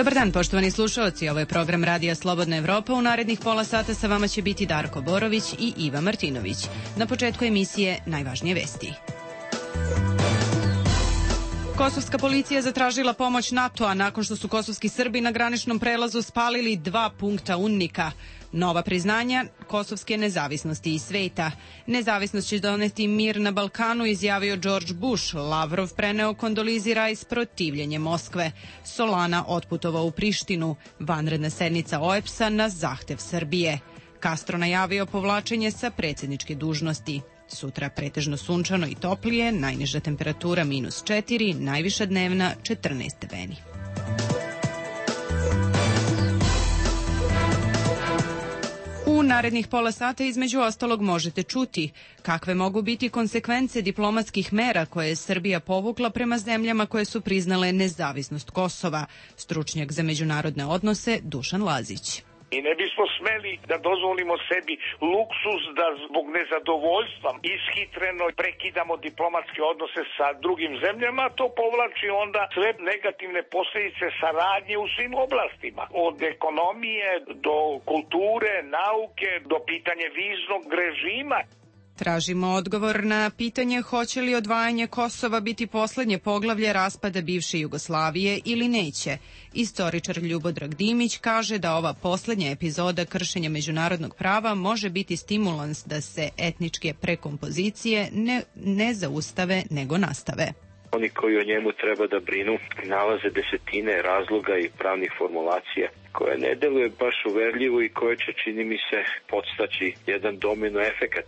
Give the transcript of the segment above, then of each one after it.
Dobar dan, poštovani slušalci. Ovo je program Radija Slobodna Evropa. U narednih pola sata sa vama će biti Darko Borović i Iva Martinović. Na početku emisije najvažnije vesti. Kosovska policija zatražila pomoć NATO-a nakon što su kosovski Srbi na graničnom prelazu spalili 2 punkta UNMIK-a. Nova priznanja kosovske nezavisnosti i sveta. Nezavisnost će doneti mir na Balkanu, izjavio George Bush. Lavrov preneo kondolizi Rajs protivljenje Moskve. Solana otputovao u Prištinu. Vanredna sednica OEBS-a na zahtev Srbije. Castro najavio povlačenje sa predsjedničke dužnosti. Sutra pretežno sunčano i toplije, najniža temperatura -4, najviša dnevna 14 stepeni. U narednih pola sata između ostalog možete čuti kakve mogu biti konsekvence diplomatskih mera koje je Srbija povukla prema zemljama koje su priznale nezavisnost Kosova. Stručnjak za međunarodne odnose Dušan Lazić. I ne bismo smeli da dozvolimo sebi luksuz da zbog nezadovoljstva ishitreno prekidamo diplomatske odnose sa drugim zemljama. To povlači onda sve negativne posljedice saradnje u svim oblastima. Od ekonomije do kulture, nauke, do pitanja viznog režima. Tražimo odgovor na pitanje hoće li odvajanje Kosova biti poslednje poglavlje raspada bivše Jugoslavije ili neće. Istoričar Ljubodrag Dimić kaže da ova poslednja epizoda kršenja međunarodnog prava može biti stimulans da se etničke prekompozicije ne zaustave nego nastave. Oni koji o njemu treba da brinu nalaze desetine razloga i pravnih formulacija koje ne deluje baš uverljivo i koje će, čini mi se, podstaći jedan domino efekat.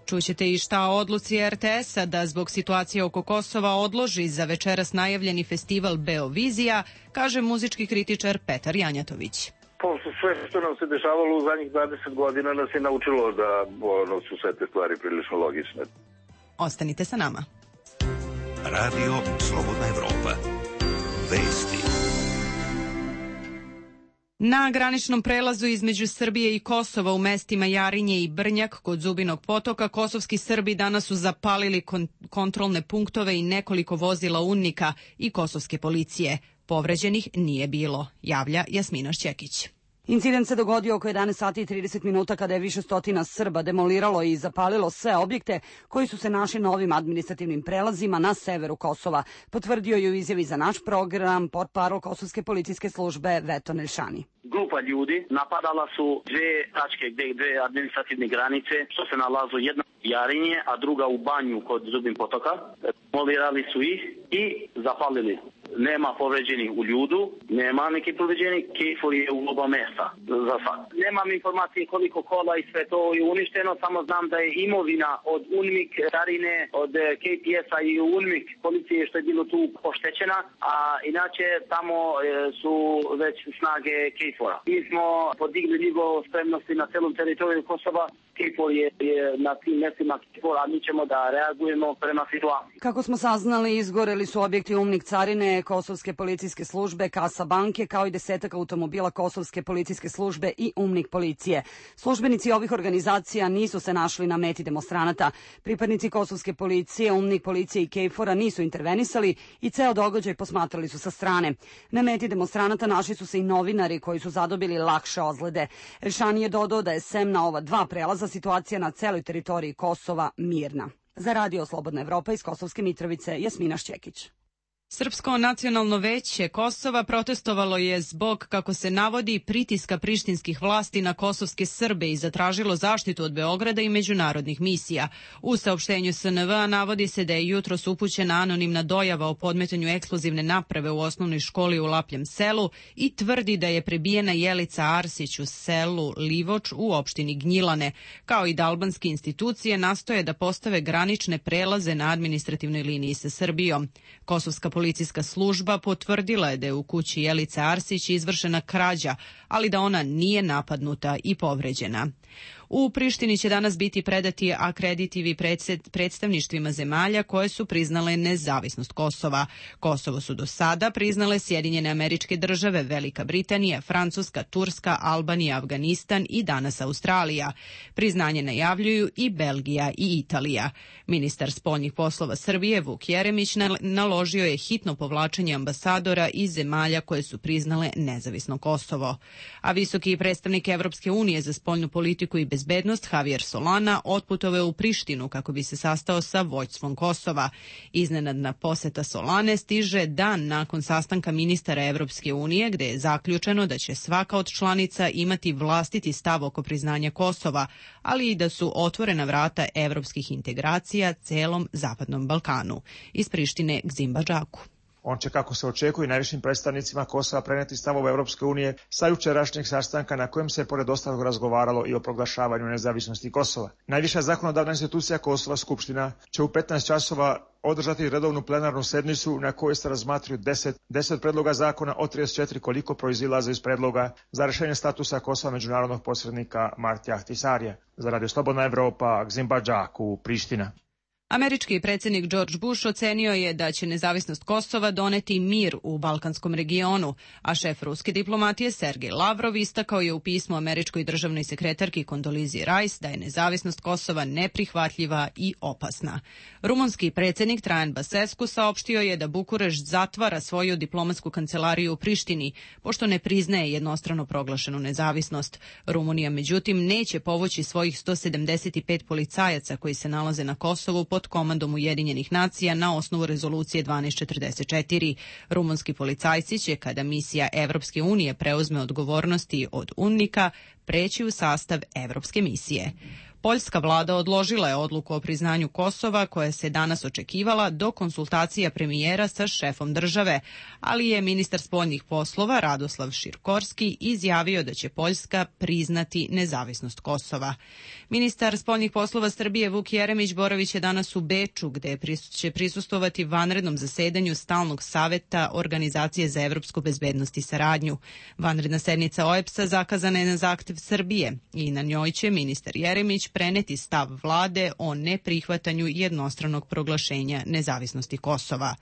Čućete i šta o odluci RTS-a da zbog situacije oko Kosova odloži za večeras najavljeni festival Beovizija, kaže muzički kritičar Petar Janjatović. Sve što nam se dešavalo u zadnjih 20 godina nas je naučilo da su sve te stvari prilično logične. Ostanite sa nama. Radio Slobodna Evropa. Vesti. Na graničnom prelazu između Srbije i Kosova u mestima Jarinje i Brnjak kod Zubinog potoka kosovski Srbi danas su zapalili kontrolne punktove i nekoliko vozila UNMIK-a i kosovske policije. Povređenih nije bilo, javlja Jasmina Šćekić. Incident se dogodio oko 11 sati i 30 minuta kada je više stotina Srba demoliralo i zapalilo sve objekte koji su se našli na ovim administrativnim prelazima na severu Kosova, potvrdio je u izjavi za naš program portparol Kosovske policijske službe Veto Nelšani. Grupa ljudi napadala su dve administrativne granice, što se nalazu jedna u Jarinje, a druga u Banju kod Zubin potoka. Demolirali su ih i zapalili. Nema povređenih u ljudu, nema neki povređenih, KFOR je u oba mesta za sad. Nemam informacije koliko kola i sve to je uništeno, samo znam da je imovina od UNMIK, Jarine, od KPS-a i UNMIK policije što je bilo tu oštećena, a inače tamo su već snage KFOR-a. Mi smo podigli nivo spremnosti na celom teritoriju Kosova. KFOR je na tim mestima KFOR, a mi ćemo da reagujemo prema situaciji. Kako smo saznali, izgoreli su objekti UNMIK carine, Kosovske policijske službe, Kasa banke, kao i 10 automobila Kosovske policijske službe i UNMIK policije. Službenici ovih organizacija nisu se našli na meti demonstranata. Pripadnici Kosovske policije, UNMIK policije i KFOR-a nisu intervenisali i ceo događaj posmatrali su sa strane. Na meti demonstranata našli su se i novinari koji su zadobili lakše ozljede. Elšani je dodao da je sem na ova 2 prelaza situacija na celoj teritoriji Kosova mirna. Za Radio Slobodna Evropa iz Kosovske Mitrovice, Jasmina Šćekić. Srpsko nacionalno veće Kosova protestovalo je zbog, kako se navodi, pritiska prištinskih vlasti na kosovske Srbe i zatražilo zaštitu od Beograda i međunarodnih misija. U saopštenju SNV navodi se da je jutros upućena anonimna dojava o podmetanju eksplozivne naprave u osnovnoj školi u Lapljem selu i tvrdi da je prebijena Jelica Arsić u selu Livoč u opštini Gnjilane, kao i da albanske institucije nastoje da postave granične prelaze na administrativnoj liniji sa Srbijom. Kosovska policijska služba potvrdila je da je u kući Jelice Arsić izvršena krađa, ali da ona nije napadnuta i povređena. U Prištini će danas biti predati akreditivi predstavništvima zemalja koje su priznale nezavisnost Kosova. Kosovo su do sada priznale Sjedinjene Američke Države, Velika Britanija, Francuska, Turska, Albanija, Afganistan i danas Australija. Priznanje najavljuju i Belgija i Italija. Ministar spoljnih poslova Srbije Vuk Jeremić naložio je hitno povlačenje ambasadora iz zemalja koje su priznale nezavisno Kosovo. A visoki predstavnik Evropske unije za spoljnu politiku i bezbednost Javier Solana otputovao u Prištinu kako bi se sastao sa vođstvom Kosova. Iznenadna poseta Solane stiže dan nakon sastanka ministara Evropske unije gde je zaključeno da će svaka od članica imati vlastiti stav oko priznanja Kosova, ali i da su otvorena vrata evropskih integracija celom Zapadnom Balkanu. Iz Prištine Gzim Badžaku. On će, kako se očekuje, najvišim predstavnicima Kosova preneti stavove Evropske unije sa jučerašnjeg sastanka na kojem se pored ostalog razgovaralo i o proglašavanju nezavisnosti Kosova. Najviša zakonodavna institucija Kosova, Skupština, će u 15 časova održati redovnu plenarnu sednicu na kojoj se razmatruju 10 predloga zakona od 34 koliko proizilaze iz predloga za rešenje statusa Kosova međunarodnog posrednika Martija Ahtisarija. Za Radio Slobodna Evropa, Gzim Badžaku, Priština. Američki predsjednik George Bush ocenio je da će nezavisnost Kosova doneti mir u balkanskom regionu, a šef ruske diplomatije Sergej Lavrov istakao je u pismu američkoj državnoj sekretarki Kondolizi Rice da je nezavisnost Kosova neprihvatljiva i opasna. Rumunski predsjednik Trajan Basescu saopštio je da Bukurešt zatvara svoju diplomatsku kancelariju u Prištini, pošto ne priznaje jednostrano proglašenu nezavisnost. Rumunija, međutim, neće povući svojih 175 policajaca koji se nalaze na Kosovu pod komandom Ujedinjenih nacija na osnovu rezolucije 1244. Rumunski policajci će, kada misija Evropske unije preuzme odgovornosti od UNMIK-a, preći u sastav Evropske misije. Poljska vlada odložila je odluku o priznanju Kosova koja se danas očekivala do konsultacija premijera sa šefom države, ali je ministar spoljnih poslova Radoslav Širkorski izjavio da će Poljska priznati nezavisnost Kosova. Ministar spoljnih poslova Srbije Vuk Jeremić boraviće danas u Beču, gde će prisustvovati vanrednom zasedanju Stalnog saveta Organizacije za evropsku bezbednost i saradnju. Vanredna sednica OEBS-a zakazana je na zahtev Srbije i na njoj će ministar Jeremić preneti stav vlade o neprihvatanju jednostranog proglašenja nezavisnosti Kosova.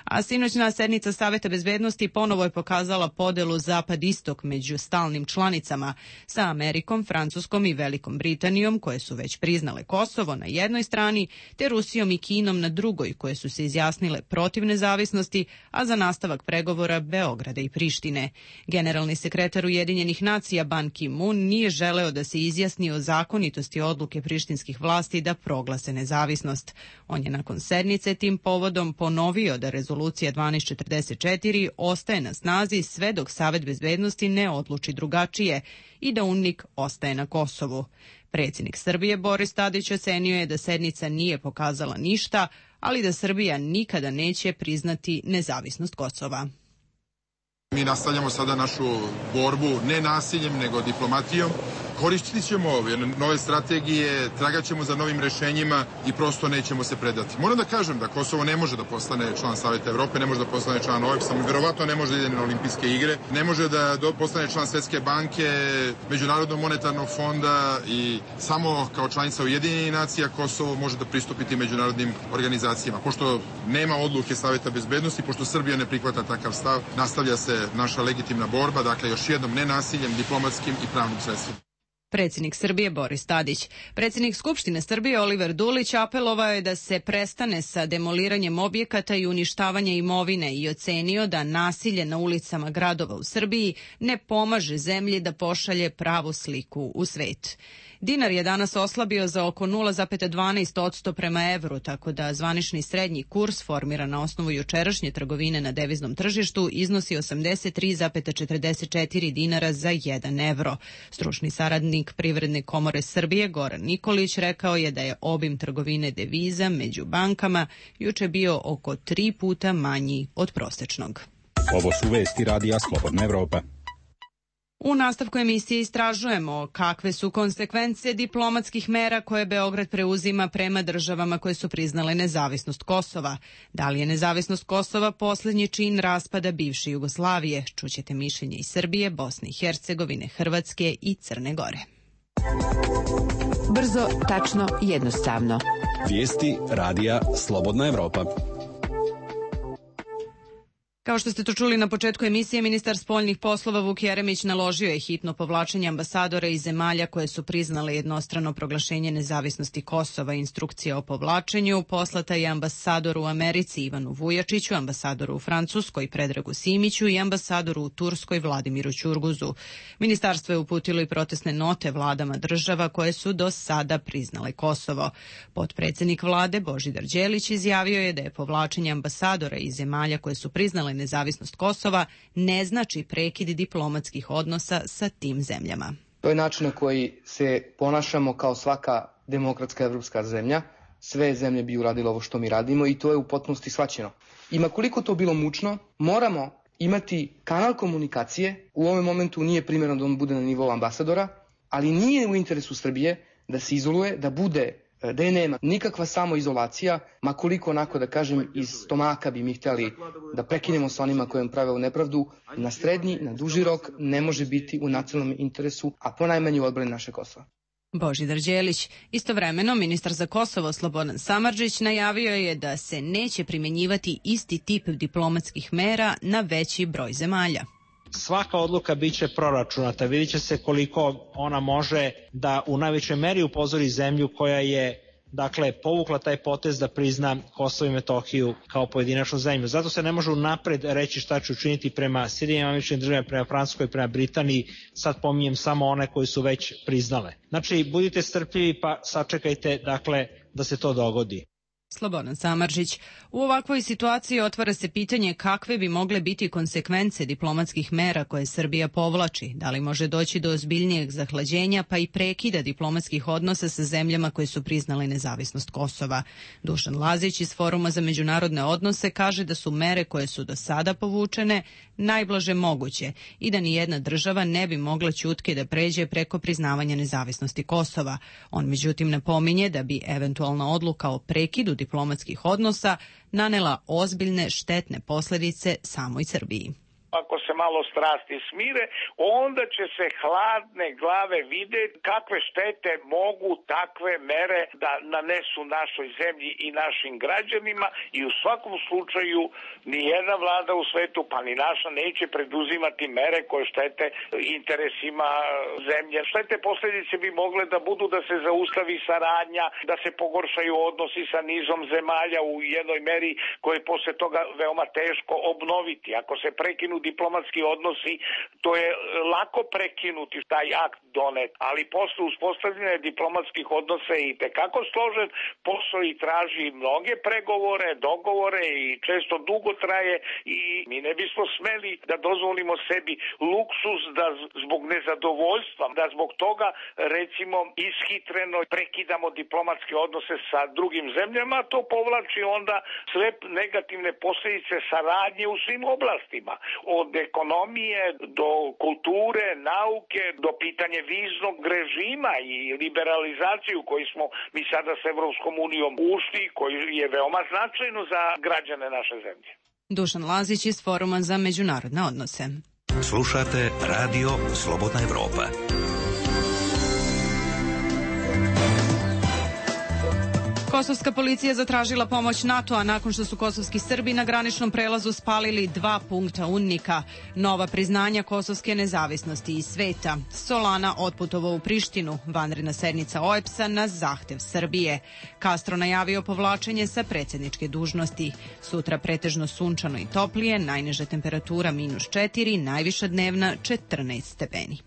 A sinoćna sednica Saveta bezbednosti ponovo je pokazala podelu zapad-istok među stalnim članicama sa Amerikom, Francuskom i Velikom Britanijom, koje su već priznale Kosovo na jednoj strani, te Rusijom i Kinom na drugoj, koje su se izjasnile protiv nezavisnosti, a za nastavak pregovora Beograda i Prištine. Generalni sekretar Ujedinjenih nacija Ban Ki-moon nije želeo da se izjasni o zakonitosti odluke prištinskih vlasti da proglase nezavisnost. On je nakon sednice tim povodom ponovio da rezolucija 1244 ostaje na snazi sve dok Savet bezbednosti ne odluči drugačije i da UNMIK ostaje na Kosovu. Predsjednik Srbije Boris Tadić ocenio je da sednica nije pokazala ništa, ali da Srbija nikada neće priznati nezavisnost Kosova. Mi nastavljamo sada našu borbu ne nasiljem, nego diplomatijom. Koristit ćemo nove strategije, tragat ćemo za novim rešenjima i prosto nećemo se predati. Moram da kažem da Kosovo ne može da postane član Saveta Evrope, ne može da postane član OEBS-a, verovatno ne može da ide na olimpijske igre, ne može da postane član Svetske banke, Međunarodnog monetarnog fonda i samo kao članica Ujedinjenih nacija Kosovo može da pristupiti međunarodnim organizacijama. Pošto nema odluke Saveta bezbednosti, pošto Srbija ne prihvata takav stav, nastavlja se naša legitimna borba, dakle još jednom nenasiljem, diplomatskim i pravnim sredstvima. Predsjednik Srbije Boris Tadić. Predsjednik Skupštine Srbije Oliver Dulić apelovao je da se prestane sa demoliranjem objekata i uništavanje imovine i ocenio da nasilje na ulicama gradova u Srbiji ne pomaže zemlji da pošalje pravu sliku u svet. Dinar je danas oslabio za oko 0,12% prema evru, tako da zvanični srednji kurs formiran na osnovu jučerašnje trgovine na deviznom tržištu iznosi 83,44 dinara za 1 evro. Stručni saradnik Privredne komore Srbije Goran Nikolić rekao je da je obim trgovine deviza među bankama juče bio oko 3 puta manji od prosečnog. Ovo su vesti Radija Slobodna Evropa. U nastavku emisije istražujemo kakve su konsekvence diplomatskih mera koje Beograd preuzima prema državama koje su priznale nezavisnost Kosova. Da li je nezavisnost Kosova posljednji čin raspada bivše Jugoslavije? Čućete mišljenje iz Srbije, Bosne i Hercegovine, Hrvatske i Crne Gore. Brzo, tačno, jednostavno. Vijesti radija Slobodna Evropa. Kao što ste to čuli na početku emisije, ministar spoljnih poslova Vuk Jeremić naložio je hitno povlačenje ambasadora iz zemalja koje su priznale jednostrano proglašenje nezavisnosti Kosova. Instrukcija o povlačenju poslata je ambasadoru u Americi Ivanu Vujačiću, ambasadoru u Francuskoj Predragu Simiću i ambasadoru u Turskoj Vladimiru Ćurguzu. Ministarstvo je uputilo i protestne note vladama država koje su do sada priznale Kosovo. Potpredsednik vlade Božidar Đelić izjavio je da je povlačenje ambasadora iz zemalja koje su priznale nezavisnost Kosova ne znači prekid diplomatskih odnosa sa tim zemljama. To je način na koji se ponašamo kao svaka demokratska evropska zemlja. Sve zemlje bi uradile ovo što mi radimo i to je u potpunosti shvaćeno. I ma koliko to bilo mučno, moramo imati kanal komunikacije. U ovom momentu nije primjerno da on bude na nivou ambasadora, ali nije u interesu Srbije da se izoluje, da je nema nikakva samoizolacija, ma koliko onako da kažem iz stomaka bi mi htjeli da prekinemo sa onima kojim prave u nepravdu, na srednji, na duži rok ne može biti u nacionalnom interesu, a ponajmanje u odbrani naše Kosova. Božidar Đelić. Istovremeno, ministar za Kosovo Slobodan Samardžić najavio je da se neće primjenjivati isti tip diplomatskih mera na veći broj zemalja. Svaka odluka biće proračunata, vidjet će se koliko ona može da u najvećoj meri upozori zemlju koja je povukla taj potez da prizna Kosovo i Metohiju kao pojedinačnu zemlju. Zato se ne može unapred reći šta će učiniti prema Sjedinjenim Američkim Državama, prema Francuskoj, prema Britaniji. Sad pominjem samo one koje su već priznale. Znači, budite strpljivi pa sačekajte da se to dogodi. Slobodan Samardžić. U ovakvoj situaciji otvara se pitanje kakve bi mogle biti konsekvence diplomatskih mera koje Srbija povlači. Da li može doći do ozbiljnijeg zahlađenja pa i prekida diplomatskih odnosa sa zemljama koje su priznale nezavisnost Kosova. Dušan Lazić iz Foruma za međunarodne odnose kaže da su mere koje su do sada povučene najblaže moguće i da ni jedna država ne bi mogla ćutke da pređe preko priznavanja nezavisnosti Kosova. On međutim napominje da bi eventualna odluka o prekidu diplomatskih odnosa nanela ozbiljne štetne posljedice samoj Srbiji. Ako se malo strasti smire, onda će se hladne glave vidjeti kakve štete mogu takve mere da nanesu našoj zemlji i našim građanima i u svakom slučaju nijedna vlada u svetu, pa ni naša, neće preduzimati mere koje štete interesima zemlje. Štete posljedice bi mogle da budu da se zaustavi saradnja, da se pogoršaju odnosi sa nizom zemalja u jednoj meri koje je posle toga veoma teško obnoviti. Ako se prekinu diplomatski odnosi, to je lako prekinuti taj akt donet, ali posle uspostavljanja diplomatskih odnosa je i tekako složen posao i traži mnoge pregovore, dogovore i često dugo traje i mi ne bismo smeli da dozvolimo sebi luksuz da zbog nezadovoljstva, da zbog toga recimo ishitreno prekidamo diplomatske odnose sa drugim zemljama, to povlači onda sve negativne posljedice saradnje u svim oblastima. Od ekonomije do kulture, nauke, do pitanja viznog režima i liberalizaciju koju smo mi sada s Evropskom unijom ušli, koji je veoma značajno za građane naše zemlje. Dušan Lazić iz Foruma za međunarodne odnose. Slušate Radio Slobodna Evropa. Kosovska policija zatražila pomoć NATO-a nakon što su kosovski Srbi na graničnom prelazu spalili 2 punkta UNMIK-a. Nova priznanja kosovske nezavisnosti iz sveta. Solana otputovao u Prištinu, vanredna sednica OEBS-a na zahtev Srbije. Castro najavio povlačenje sa predsjedničke dužnosti. Sutra pretežno sunčano i toplije, najniža temperatura -4, najviša dnevna 14 stepeni.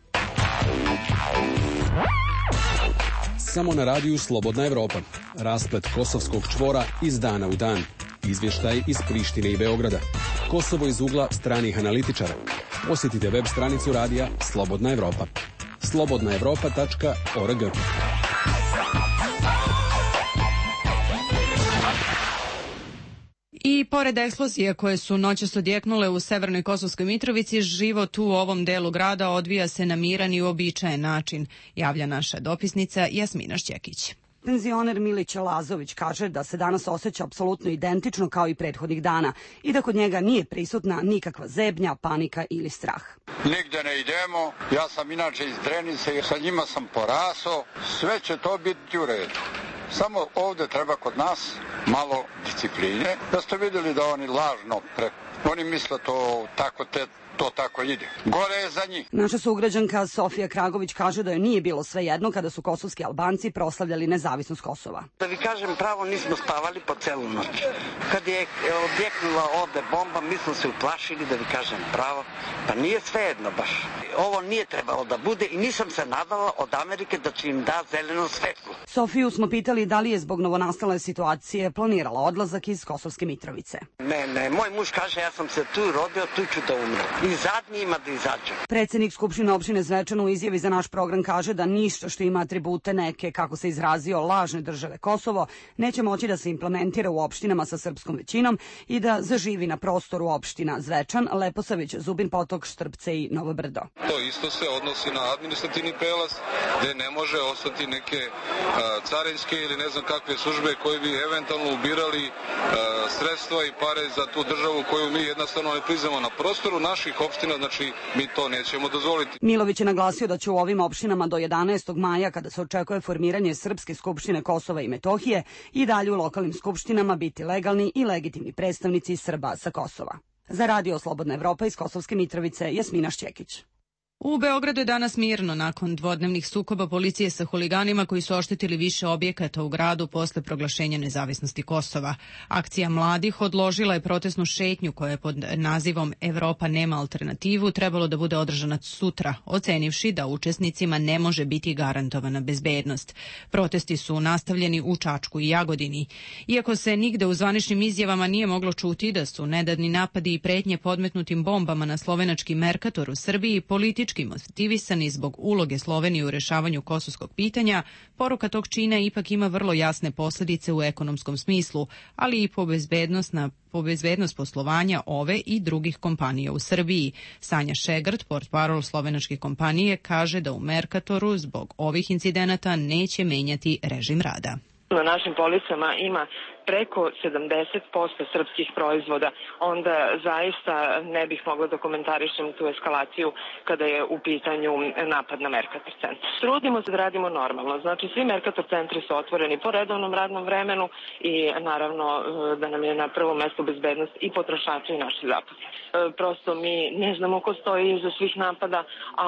Samo na radiju Slobodna Evropa. Rasplet kosovskog čvora iz dana u dan. Izvještaj iz Prištine i Beograda. Kosovo iz ugla stranih analitičara. Posjetite web stranicu radija Slobodna Evropa. slobodnaevropa.org. I pored eksplozije koje su noćas odjeknule u severnoj Kosovskoj Mitrovici, život u ovom delu grada odvija se na miran i uobičajen način, javlja naša dopisnica Jasmina Šćekić. Penzioner Milić Lazović kaže da se danas osjeća apsolutno identično kao i prethodnih dana i da kod njega nije prisutna nikakva zebnja, panika ili strah. Nigde ne idemo, ja sam inače iz Drenice i sa njima sam porasao, sve će to biti u redu. Samo ovde treba kod nas malo discipline, da ste vidjeli da oni lažno, oni misle to tako ide. Gore je za njih. Naša sugrađanka Sofija Kragović kaže da joj nije bilo svejedno kada su kosovski Albanci proslavljali nezavisnost Kosova. Da vi kažem pravo, nismo spavali po celu noć. Kad je odjeknula ovde bomba, mi smo se uplašili, da vi kažem pravo, pa nije svejedno baš. Ovo nije trebalo da bude i nisam se nadala od Amerike da će im da zeleno svetlo. Sofiju smo pitali da li je zbog novonastale situacije planirala odlazak iz Kosovske Mitrovice. Ne, moj muž kaže ja sam se tu rodio, tu ću da umrem. I zadnji ima da izađe. Predsednik Skupštine opštine Zvečan u izjavi za naš program kaže da ništa što ima atribute neke, kako se izrazio, lažne države Kosovo, neće moći da se implementira u opštinama sa srpskom većinom i da zaživi na prostoru opština Zvečan, Leposavić, Zubin Potok, Štrpce i Novo Brdo. To isto se odnosi na administrativni prelaz, gde ne može ostati neke carinske ili ne znam kakve službe koje bi eventualno ubirali sredstva i pare za tu državu koju mi jednostavno ne priznamo na prostoru naših opština, znači mi to nećemo dozvoliti. Milović je naglasio da će u ovim opštinama do 11. maja, kada se očekuje formiranje Srpske skupštine Kosova i Metohije, i dalje u lokalnim skupštinama biti legalni i legitimni predstavnici Srba sa Kosova. Za Radio Slobodna Evropa iz Kosovske Mitrovice, Jasmina Šćekić. U Beogradu je danas mirno nakon dvodnevnih sukoba policije sa huliganima koji su oštetili više objekata u gradu posle proglašenja nezavisnosti Kosova. Akcija mladih odložila je protestnu šetnju koja je pod nazivom Evropa nema alternativu trebalo da bude održana sutra, ocenivši da učesnicima ne može biti garantovana bezbednost. Protesti su nastavljeni u Čačku i Jagodini. Iako se nigde u zvaničnim izjavama nije moglo čuti da su nedavni napadi i pretnje podmetnutim bombama na slovenački Merkator u Srbiji politički motivisani zbog uloge Slovenije u rešavanju kosovskog pitanja, poruka tog čina ipak ima vrlo jasne posledice u ekonomskom smislu, ali i po bezbednost poslovanja ove i drugih kompanija u Srbiji. Sanja Šegrt, portparol slovenačke kompanije, kaže da u Merkatoru zbog ovih incidenata neće menjati režim rada. Na našim policama ima preko 70% srpskih proizvoda, onda zaista ne bih mogla da komentarišem tu eskalaciju kada je u pitanju napad na Merkator centar. Trudimo se da radimo normalno, znači svi Merkator centri su otvoreni po redovnom radnom vremenu i naravno da nam je na prvom mestu bezbednost i potrošači i naši zaposleni. Prosto mi ne znamo ko stoji iza svih napada, a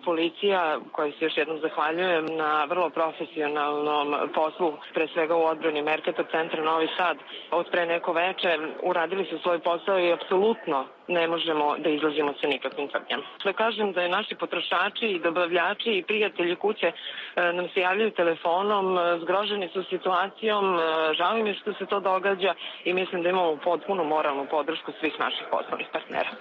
policija, kojoj se još jednom zahvaljujem na vrlo profesionalnom poslu, pre svega u odbrani Merkator centra Novi Sad, od pre neko veče uradili su svoj posao i apsolutno ne možemo da izlazimo sa nikakvim tvrdnjama. Da kažem da je naši potrošači i dobavljači i prijatelji kuće nam se javljaju telefonom, zgroženi su situacijom, žao im je što se to događa i mislim da imamo potpunu moralnu podršku svih naših poslovnih partnera.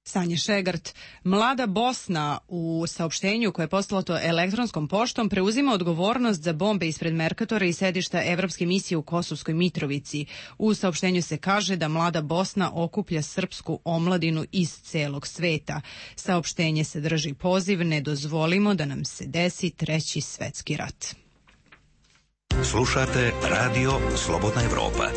Sanja Šegrt. Mlada Bosna u saopštenju koje je poslato elektronskom poštom preuzima odgovornost za bombe ispred Merkatora i sedišta Evropske misije u Kosovskoj Mitrovici. U saopštenju se kaže da Mlada Bosna okuplja srpsku omladinu iz celog sveta. Saopštenje sadrži poziv ne dozvolimo da nam se desi treći svetski rat. Slušate Radio Slobodna Evropa.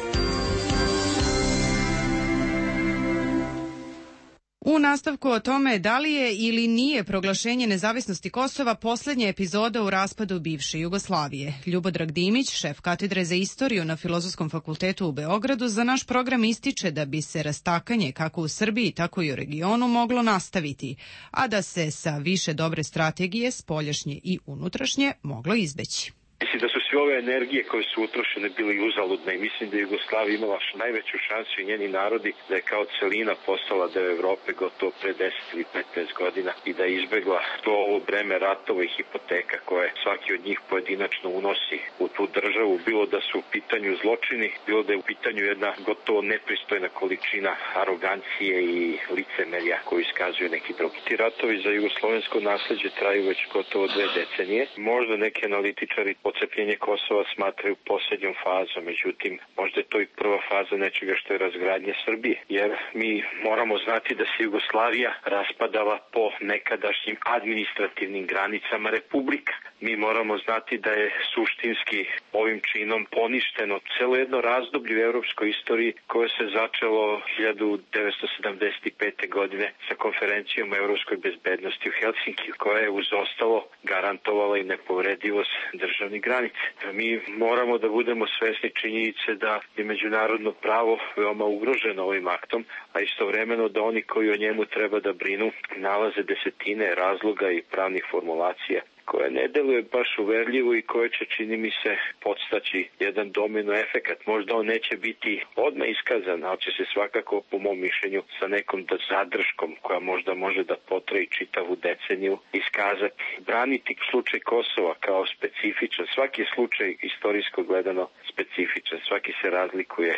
U nastavku o tome da li je ili nije proglašenje nezavisnosti Kosova poslednja epizoda u raspadu bivše Jugoslavije. Ljubodrag Dimić, šef katedre za istoriju na Filozofskom fakultetu u Beogradu, za naš program ističe da bi se rastakanje kako u Srbiji, tako i u regionu moglo nastaviti, a da se sa više dobre strategije, spoljašnje i unutrašnje, moglo izbeći. Mislim da su sve ove energije koje su utrošene bile uzaludne i mislim da je Jugoslavija imala najveću šansu i njeni narodi da je kao celina postala deo Evrope gotovo pre 10 ili 15 godina i da je izbegla to ovo breme ratova i hipoteka koje svaki od njih pojedinačno unosi u tu državu, bilo da su u pitanju zločini, bilo da je u pitanju jedna gotovo nepristojna količina arogancije i licemerja koju iskazuju neki drugi. Ti ratovi za jugoslovensko nasleđe traju već gotovo 2 decenije. Možda neki analitičari Odcepljenje Kosova smatraju posljednjom fazom, međutim, možda je to i prva faza nečega što je razgradnja Srbije, jer mi moramo znati da se Jugoslavija raspadala po nekadašnjim administrativnim granicama republika. Mi moramo znati da je suštinski ovim činom poništeno celo jedno razdoblje u europskoj istoriji koje se začelo 1975. godine sa konferencijom o europskoj bezbednosti u Helsinkiju, koja je uz ostalo garantovala i nepovredivost državnih granica. Mi moramo da budemo svesni činjenice da je međunarodno pravo veoma ugroženo ovim aktom, a istovremeno da oni koji o njemu treba da brinu nalaze desetine razloga i pravnih formulacija koje ne deluje baš uverljivo i koje će, čini mi se, podstaći jedan domino efekat. Možda on neće biti odmah iskazan, ali će se svakako, po mom mišljenju, sa nekom zadrškom koja možda može da potraji čitavu deceniju, iskazati. Braniti slučaj Kosova kao specifičan. Svaki slučaj, istorijsko gledano, specifičan. Svaki se razlikuje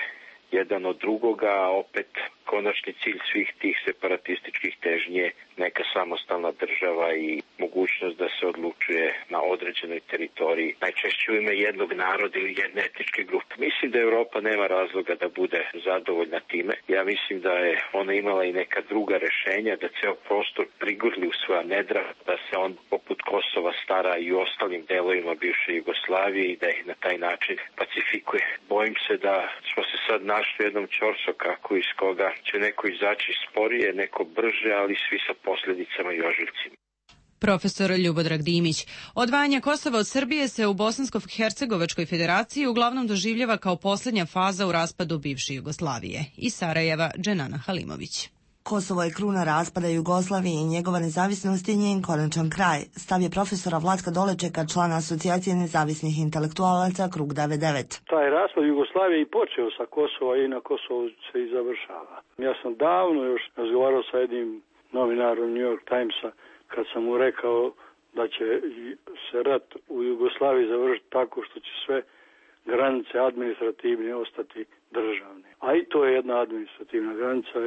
jedan od drugoga, a opet konačni cilj svih tih separatističkih težnji je neka samostalna država i mogućnost da se odlučuje na određenoj teritoriji, najčešće u ime jednog naroda ili jedne etničke grupe. Mislim da Evropa nema razloga da bude zadovoljna time. Ja mislim da je ona imala i neka druga rešenja, da ceo prostor prigurli u svoja nedra, da se on poput Kosova stara i u ostalim delovima bivše Jugoslavije i da ih na taj način pacifikuje. Bojim se da smo se sad našli u jednom ćorsokaku iz koga će neko izaći sporije, neko brže, ali svi sa posljedicama i ožiljcima. Profesor Ljubodrag Dimić. Odvajanje Kosova od Srbije se u Bosansko-Hercegovačkoj federaciji uglavnom doživljava kao posljednja faza u raspadu bivše Jugoslavije. Iz Sarajeva, Dženana Halimović. Kosovo je kruna raspada Jugoslavije i njegova nezavisnost je njen konačan kraj. Stav je profesora Vlatka Dolečeka, člana Asocijacije nezavisnih intelektualaca Krug 99. Taj raspad Jugoslavije i počeo sa Kosova i na Kosovu se i završava. Ja sam davno još razgovarao sa jednim novinarom New York Timesa kad sam mu rekao da će se rat u Jugoslaviji završiti tako što će sve granice administrativne ostati državne. A i to je jedna administrativna granica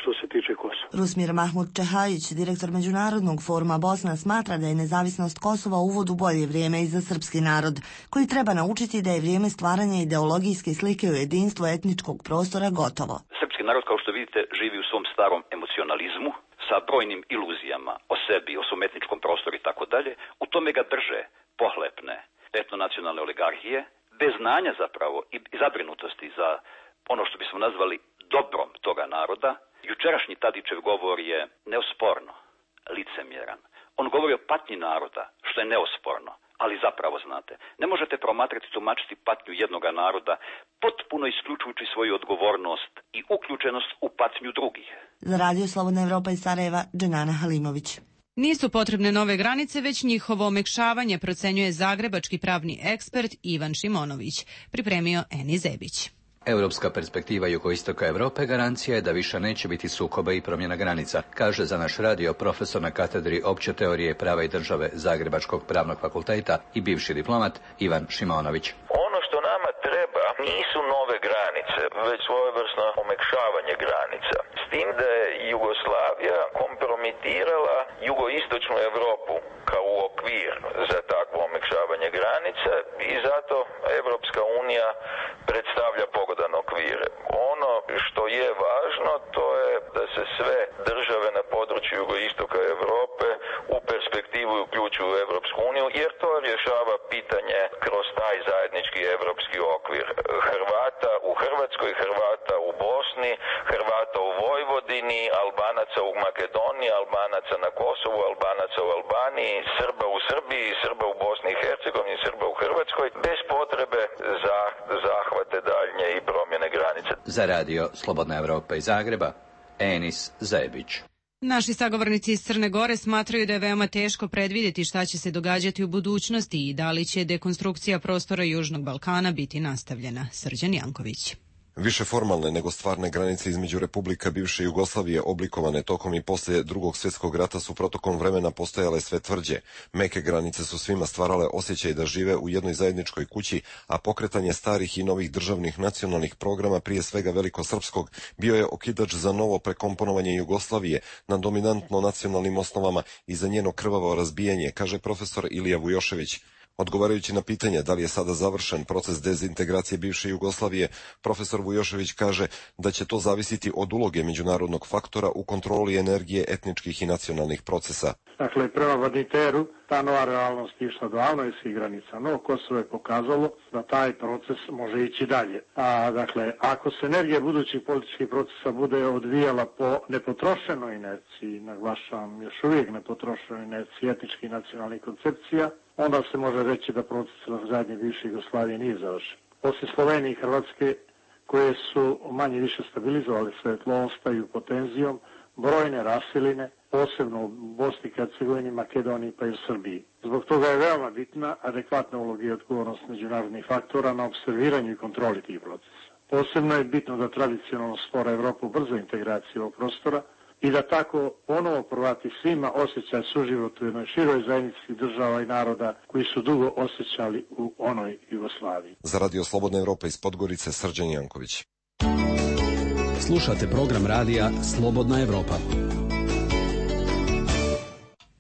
što se tiče Kosova. Rusmir Mahmud Čehajić, direktor Međunarodnog foruma Bosna, smatra da je nezavisnost Kosova uvod u bolje vrijeme i za srpski narod, koji treba naučiti da je vrijeme stvaranja ideologijske slike u jedinstvu etničkog prostora gotovo. Srpski narod, kao što vidite, živi u svom starom emocionalizmu, sa brojnim iluzijama o sebi, o svom etničkom prostoru i tako dalje. U tome ga drže pohlepne etnonacionalne oligarhije, bez znanja zapravo i zabrinutosti za ono što bismo nazvali dobrom toga naroda. Jučerašnji Tadićev govor je neosporno licemjeran. On govori o patnji naroda, što je neosporno, ali zapravo, znate, ne možete promatrati, tumačiti patnju jednoga naroda potpuno isključujući svoju odgovornost i uključenost u patnju drugih. Za Radio Slobodna Evropa iz Sarajeva, Dženana Halimović. Nisu potrebne nove granice, već njihovo omekšavanje, procenjuje zagrebački pravni ekspert Ivan Šimonović. Pripremio Eni Zebić. Europska perspektiva jugoistoka Europe garancija je da više neće biti sukoba i promjena granica, kaže za naš radio profesor na katedri opće teorije prava i države Zagrebačkog pravnog fakulteta i bivši diplomat Ivan Šimonović. Ono što nama treba nisu nove granice, već svojevrsno omekšavanje granica. S tim da je Jugoslavija kompromitirala jugoistočnu Europu kao okvir za takvo omekšavanje granica i zato Evropska unija predstavlja pogodan okvir. Ono što je važno to je da se sve države na području jugoistoka Europe u perspektivu uključuju u Evropsku uniju, jer to rješava pitanje kroz taj zajednički evropski okvir. Hrvata u Hrvatskoj, Hrvata u Bosni, Hrvata u Vojvodini, Albanaca u Makedoniji, Albanaca na Kosovu, Albanaca u Albaniji, Srba u Srbiji, Srba u Bosni i Hercegovini, Srba u Hrvatskoj, bez potrebe za zahvate daljnje i promjene granice. Za radio Slobodna Evropa iz Zagreba, Enis Zebić. Naši sagovornici iz Crne Gore smatraju da je veoma teško predvidjeti šta će se događati u budućnosti i da li će dekonstrukcija prostora Južnog Balkana biti nastavljena. Srđan Janković. Više formalne nego stvarne granice između republika bivše Jugoslavije oblikovane tokom i poslije Drugog svjetskog rata su protokom vremena postojale sve tvrđe. Meke granice su svima stvarale osjećaj da žive u jednoj zajedničkoj kući, a pokretanje starih i novih državnih nacionalnih programa, prije svega velikosrpskog, bio je okidač za novo prekomponovanje Jugoslavije na dominantno nacionalnim osnovama i za njeno krvavo razbijanje, kaže profesor Ilija Vujošević. Odgovarajući na pitanje da li je sada završen proces dezintegracije bivše Jugoslavije, profesor Vujošević kaže da će to zavisiti od uloge međunarodnog faktora u kontroli energije etničkih i nacionalnih procesa. Dakle, prema Badinteru ta nova realnost išla davno iz svih granica, no Kosovo je pokazalo da taj proces može ići dalje. Dakle, ako se energija budućih političkih procesa bude odvijala po nepotrošenoj inerciji, naglašavam još uvijek nepotrošenoj inerciji etničkih i nacionalnih koncepcija, onda se može reći da proces razgradnje bivše Jugoslavije nije završen. Osim Slovenije i Hrvatske, koje su manje više stabilizovali svoje tlo, ostaju pod tenzijom brojne rasiline, posebno u Bosni i Hercegovini, Makedoniji pa i u Srbiji. Zbog toga je veoma bitna adekvatna uloga i odgovornost međunarodnih faktora na observiranju i kontroli tih procesa. Posebno je bitno da tradicionalno spora Evropa ubrza integraciju ovog prostora i da tako ponovo povrati svima osjećaj suživotu u jednoj široj zajednici država i naroda koji su dugo osjećali u onoj Jugoslaviji. Za Radio Slobodna Evropa iz Podgorice, Srđan Janković. Slušate program radija Slobodna Evropa.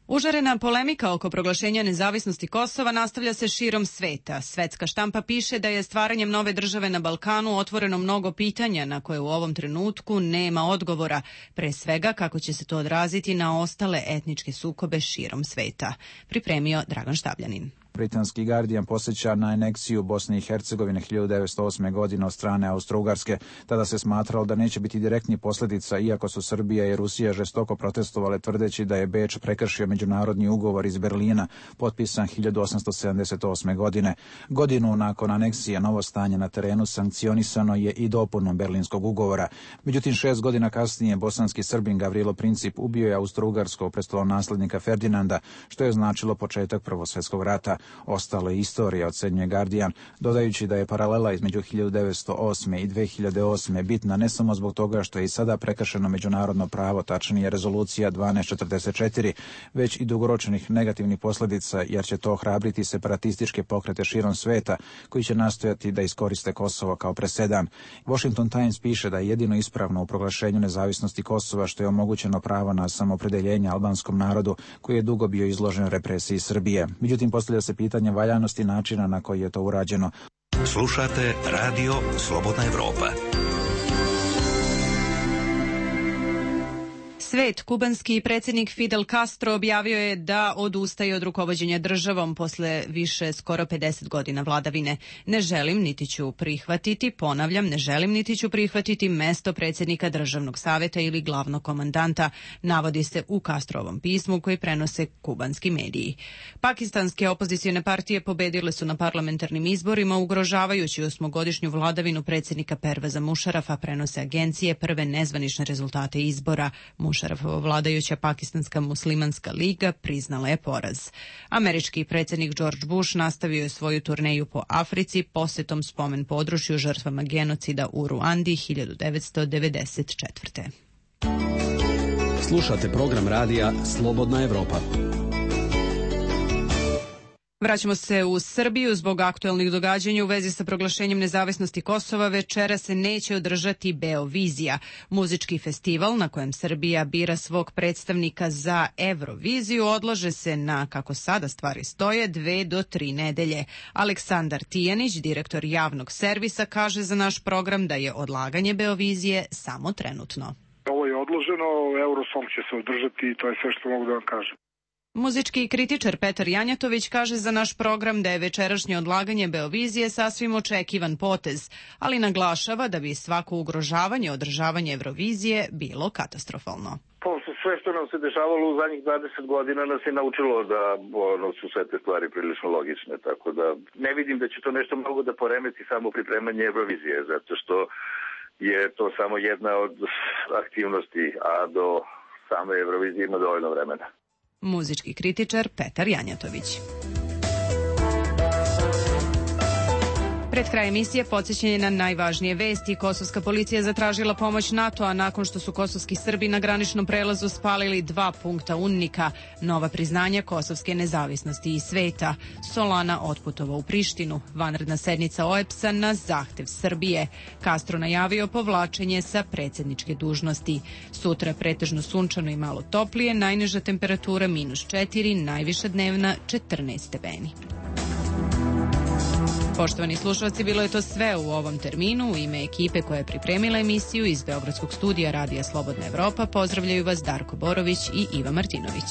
Užarena polemika oko proglašenja nezavisnosti Kosova nastavlja se širom sveta. Svetska štampa piše da je stvaranjem nove države na Balkanu otvoreno mnogo pitanja na koje u ovom trenutku nema odgovora. Pre svega kako će se to odraziti na ostale etničke sukobe širom sveta. Pripremio Dragan Štabljanin. Britanski Guardian podsjeća na aneksiju Bosne i Hercegovine 1908. godine od strane Austro-Ugarske. Tada se smatralo da neće biti direktnih posljedica, iako su Srbija i Rusija žestoko protestovale tvrdeći da je Beč prekršio međunarodni ugovor iz Berlina, potpisan 1878. godine. Godinu nakon aneksije novo stanje na terenu sankcionisano je i dopunom Berlinskog ugovora. Međutim, 6 godina kasnije bosanski Srbin Gavrilo Princip ubio je Austro-Ugarskog prestolonaslednika Ferdinanda, što je značilo početak Prvog svjetskog rata. Ostalo je istorija, ocenjuje Guardian, dodajući da je paralela između 1908. i 2008. bitna ne samo zbog toga što je i sada prekršeno međunarodno pravo, tačnije rezolucija 1244, već i dugoročnih negativnih posljedica, jer će to ohrabriti separatističke pokrete širom sveta koji će nastojati da iskoriste Kosovo kao presedan. Washington Times piše da je jedino ispravno u proglašenju nezavisnosti Kosova što je omogućeno pravo na samoopredjeljenje albanskom narodu koji je dugo bio izložen represiji Srbije. Međutim, postavlja se pitanje valjanosti načina na koji je to urađeno. Slušate Radio Slobodna Evropa. Svet, kubanski predsjednik Fidel Castro objavio je da odustaje od rukovođenja državom posle više skoro 50 godina vladavine. Ne želim niti ću prihvatiti, ponavljam, ne želim niti ću prihvatiti mesto predsjednika državnog savjeta ili glavnog komandanta, navodi se u Castrovom pismu koji prenose kubanski mediji. Pakistanske opozicione partije pobedile su na parlamentarnim izborima ugrožavajući 8-godišnju vladavinu predsjednika Perveza Mušarafa, prenose agencije prve nezvanične rezultate izbora. Mušarafova vladajuća Pakistanska muslimanska liga priznala je poraz. Američki predsjednik George Bush nastavio je svoju turneju po Africi posjetom spomen području žrtvama genocida u Ruandi 1994. Slušate program radija Slobodna Evropa. Vraćamo se u Srbiju. Zbog aktuelnih događanja u vezi sa proglašenjem nezavisnosti Kosova večera se neće održati Beovizija, muzički festival na kojem Srbija bira svog predstavnika za Euroviziju. Odlaže se na, kako sada stvari stoje, 2 do 3 nedelje. Aleksandar Tijanić, direktor javnog servisa, kaže za naš program da je odlaganje Beovizije samo trenutno. Ovo je odloženo, Eurosong će se održati i to je sve što mogu da vam kažem. Muzički kritičar Petar Janjatović kaže za naš program da je večerašnje odlaganje Beovizije sasvim očekivan potez, ali naglašava da bi svako ugrožavanje održavanja Eurovizije bilo katastrofalno. Sve što nam se dešavalo u zadnjih 20 godina nas je naučilo da su sve te stvari prilično logične, tako da ne vidim da će to nešto mnogo da poremeti samo pripremanje Eurovizije, zato što je to samo jedna od aktivnosti, a do same Eurovizije ima dovoljno vremena. Muzički kritičar Petar Janjatović. Pred kraj emisije podsjećanje na najvažnije vesti. Kosovska policija zatražila pomoć NATO-a nakon što su kosovski Srbi na graničnom prelazu spalili 2 punkta UNMIK-a. Nova priznanja kosovske nezavisnosti i sveta. Solana otputovao u Prištinu. Vanredna sednica OEBS-a na zahtev Srbije. Castro najavio povlačenje sa predsjedničke dužnosti. Sutra pretežno sunčano i malo toplije, najniža temperatura -4, najviša dnevna 14 stepeni. Poštovani slušalci, bilo je to sve u ovom terminu. U ime ekipe koja je pripremila emisiju iz Beogradskog studija Radija Slobodna Evropa pozdravljaju vas Darko Borović i Iva Martinović.